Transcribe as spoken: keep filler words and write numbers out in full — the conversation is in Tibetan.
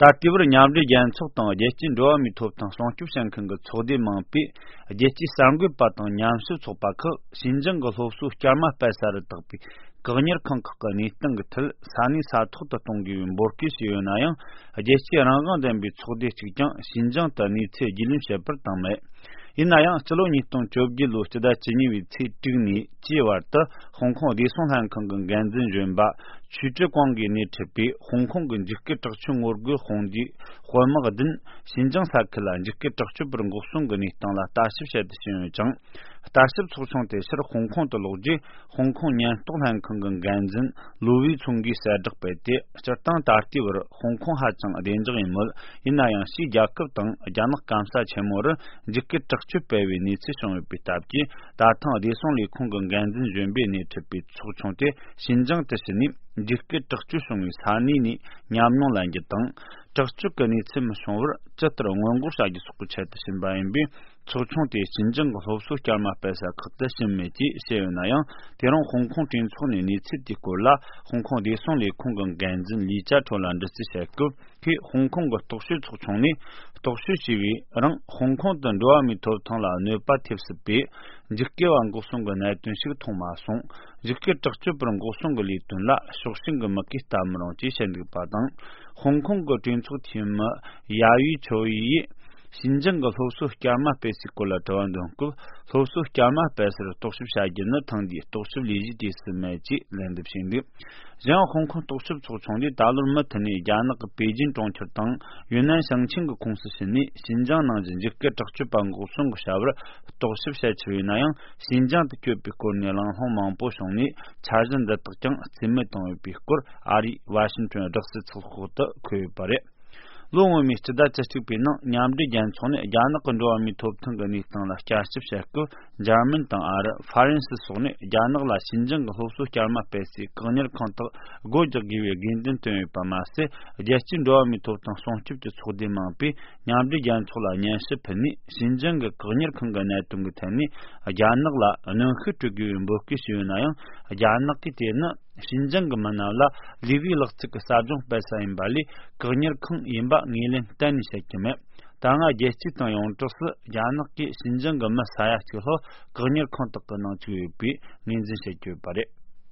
ད་ལྟའི་བར་མཉམ་འབྲེལ་རྒྱལ་ཚོགས་དང་རྒྱལ་སྤྱིའི་འགྲོ་བ་མིའི་ཐོབ་ཐང་སྲུང་སྐྱོབ་བྱེད་མཁན་གྱི་ཚོགས་སྡེ་མང་པོས། རྒྱལ་སྤྱིའི་གསར་འགོད་པ་དང་ཉམས་ཞིབ་ཚོགས་པ་ཁག་ཞིན་ཅང་གི་སློབ་གསོའི་སྐྱར་མ་སྤེལ་ས་རུ་བཏགས་པའི་བཀག་ཉར་ཁང་ཁག་གི་གནས་སྟངས་ཀྱི་ཐད་ས་གནས་ས་ཐོག་ཏུ་གཏོང་དགོས་པའི་འབོད་སྐུལ་བྱས་ཡོད་ན་ཡང་། རྒྱལ་སྤྱིའི་རང་དབང་ལྡན་པའི་ཚོགས་སྡེ་གཅིག་ཀྱང་ཞིན་ཅང་དུ་གནས་ཚུལ་རྒྱུས་ལོན་བྱེད་པར་བཏང་མེད། ཡིན་ན་ཡང་། སྤྱི་ལོ་ཉིས་སྟོང་བཅོ་བརྒྱད་ལོའི་སྤྱི་ཟླ་བཅུ་གཉིས་པའི་ཚེས་དྲུག་ནས་བཅུའི་བར་དུ། ཧོང་ཀོང་བདེ་སྲུང་ལྷན་ཁང་གི་འགན་འཛིན་གཞོན་པ་ཆུས་ཀྲི་ཀོང་གིས་སྣེ་ཁྲིད་པའི་ཧོང་ཀོང་གི་འཇིགས་སྐུལ་དྲག་སྤྱོད་ངོ་རྒོལ་དཔུང་སྡེའི་དཔོན་དམག་བདུན། ཞིན་ཅང་ས་ཁུལ་ལ་འཇིགས་སྐུལ་དྲག་སྤྱོད་པར་འགོག་སྲུང་གི་གནས་སྟངས་ལ་ལྟ་ཞིབ་བྱེད་དུ་ཕྱིན་ཡོད་ཅིང་། ལྟ་ཞིབ་ཚོགས་ཆུང་དེ་ཕྱིར་ཧོང་ཀོང་དུ་ལོག་རྗེས། ཧོང་ཀོང་ཉེན་རྟོག་ལྷན་ཁང་གི་འགན་འཛིན་ལུའུ་ཝེ་ཚུང་གིས་གསལ་བསྒྲགས་སྤེལ་ཏེ། སྤྱིར་བཏང་ད་ལྟའི་བར་ཧོང་ཀོང་ཧ་ཅང་བདེ་འཇགས་ཡིན་མོད། ཡིན་ན་ཡང་། ཕྱིའི་རྒྱལ་ཁབ་དང་རྒྱ་ནག་སྐམ་ས་ཆེན་མོ་རུ་འཇིགས་སྐུལ་དྲག་སྤྱོད་སྤེལ་བའི་གནས་ཚུལ་བྱུང་ཡོད་པའི་སྟབས་ཀྱིས། ད་ཐེངས་བདེ་སྲུང་ལས་ཁུངས་ཀྱི་འགན་འཛིན་གཞོན་པས་སྣེ་ཁྲིད་པའི་ཚོགས་ཆུང་དེ་ཞིན་ཅང་དུ་ཕྱིན་ནས། འཇིགས་སྐུལ་དྲག་སྤྱོད་བྱུང་བའི་ས་གནས་ནས་ཉམས་མྱོང་ལེན་རྒྱུ་དང་། དྲག་སྤྱོད་ཀྱི་གནས་ཚུལ་མི་བྱུང་བར་ཇི་ལྟར་སྔོན་འགོག་བྱ་རྒྱུ་སོགས་ཀྱི་ཆེད་དུ་ཕྱིན་པ་ཡིན་པས། ཚོགས་ཆུང་དེས་ཞིན་ཅང་གི་སློབ་གསོའི་སྐྱར་མ་སྤེལ་ས་ཁག་ཏུ་ཕྱིན་མེད་ཅེས་བཤད་ཡོད་ན་ཡང་། དེ་རིང་ཧོང་ཀོང་གྲོས་ཚོགས་ནས་གནས་ཚུལ་དེའི་སྐོར་ལ། ཧོང་ཀོང་བདེ་སྲུང་ལས་ཁུངས་ཀྱི་འགན་འཛིན་ལི་ཅཱ་ཁྲོ་ལ་འདྲི་རྩིས་བྱས་སྐབས། ཁོས་ཧོང་ཀོང་གི་རྟོག་དཔྱོད་ཚོགས་ཆུང་ནས་རྟོག་དཔྱོད་བྱས་པའི་རིང་། ཧོང་ཀོང་དུ་འགྲོ་བ་མིའི་ཐོབ་ཐང་ལ་གནོད་པ་ཐེབས་སྲིད་པའི་འཇིགས་སྐུལ་བ་འགོག་སྲུང་གི་གནད་དོན་ཞིག་མཐོང་མ་སོང་། འཇིགས་སྐུལ་དྲག་སྤྱོད་པར་འགོག་སྲུང་གི་ལས་དོན་ལ་ཕྱོགས་ཞེན་གྱི་མུ་གེས་ལྟ་མི་རུང་ཅེས་བཤད་འདུག་པ་དང་། ཧོང་ཀོང་གི་གྲོས་ཚོགས་འཐུས་མི་ཡ་ཡུས་ཆོ་ཡིས། ཞིན་ཅང་གི་སློབ་གསོ་སྐྱར་མ་སྤེལ་སའི་སྐོར་ལ་དྲི་བ་འདོན་སྐབས། སློབ་གསོ་སྐྱར་མ་སྤེལ་སར་རྟོག་ཞིབ་བྱ་རྒྱུ་ནི་ཐེངས་འདིའི་རྟོག་ཞིབ་ལས་གཞི་དུས་སུ་མེད་ཅེས་ལན་འདེབས་བྱས་འདུག། གཞན་ཡང་། ཧོང་ཀོང་རྟོག་ཞིབ་ཚོགས་ཆུང་གིས་ད་ལོར་མུ་མཐུད་ནས་རྒྱ་ནག་གི་པེ་ཅིན་གྲོང་ཁྱེར་དང་ཡུན་ནན་ཞིང་ཆེན་གྱི་ཁོངས་སུ་ཕྱིན་ནས། ཞིན་ཅང་ནང་གི་འཇིགས་སྐུལ་དྲག་སྤྱོད་པ་འགོག་སྲུང་གི་བྱ་བར་རྟོག་ཞིབ་བྱེད་ཆེད་ཡིན་ན་ཡང་། ཞིན་ཅང་དུ་བསྐྱོད་པའི་སྐོར་ནས་གླེང་སློང་མང་པོ་བྱུང་ནས། འཆར་གཞི་འདི་དག་ཀྱང་རྩིས་མེད་བཏང་ཡོད་པའི་སྐོར། ཨ་རིའི་ཝ་ཤིང་ཊོན་སྦྲག་སྲིད་ཚགས་ཤོག་ཏུ་འཁོད་ཡོད་པ་རེད། ལོ་སྔོན་མའི་སྤྱི་ཟླ་བཅུ་གཅིག་པའི་ནང་། མཉམ་འབྲེལ་རྒྱལ་ཚོགས་ནས་རྒྱ་ནག་གི་འགྲོ་བ་མིའི་ཐོབ་ཐང་གི་གནས་སྟངས་ལ་བསྐྱར་ཞིབ་བྱེད་སྐབས། འཇར་མན་དང་ཨ་རི། ཧྥ་རན་སི་སོགས་ནས་རྒྱ་ནག་ལ་ཞིན་ཅང་གི་སློབ་གསོ་བསྐྱར་མ་སྤེལ་སའི་བཀག་ཉར་ཁང་དག་སྒོ་རྒྱག་དགོས་པའི་དགོས་འདུན་བཏོན་ཡོད་པ་མ་ཟད། རྒྱལ་སྤྱིའི་འགྲོ་བ་མིའི་ཐོབ་ཐང་སྲུང་སྐྱོབ་ཀྱི་ཚོགས་སྡེ་མང་པོས་མཉམ་འབྲེལ་རྒྱལ་ཚོགས་ལ་སྙན་ཞུ་ཕུལ་ནས། ཞིན་ཅང་གི་བཀག་ཉར་ཁང་གི་གནད་དོན་གྱི་ཐད་ནས་རྒྱ་ནག་ལ་གནོན་ཤུགས་སྤྲོད་དགོས་པའི་འབོད་སྐུལ་ཞུས་ཡོད་ན་ཡང་། རྒྱ་ནག་གིས་དེ་ནི་ཞིན་ཅང་གི་མི་སྣ་ལ་ལུས་པའི་ལག་རྩལ་གྱི་ཟབ་སྦྱོང་སྤེལ་ས་ཡིན་པ་ལས། བཀག་ཉར་ཁང་ཡིན་པ་ངོས་ལེན་གཏན་ནས་བྱེད་ཀྱི་མེད། ད་སྔ་རྒྱལ་སྤྱི་དང་ཡོངས་གྲགས་སུ་རྒྱ་ནག་གིས་ཞིན་ཅང་གི་མི་ས་ཡ་གཅིག་ལྷག་བཀག་ཉར་ཁང་དག་གི་ནང་བཅུག་ཡོད་པའི་ངོས་འཛིན་བྱེད་ཀྱི་ཡོད་པ་རེད།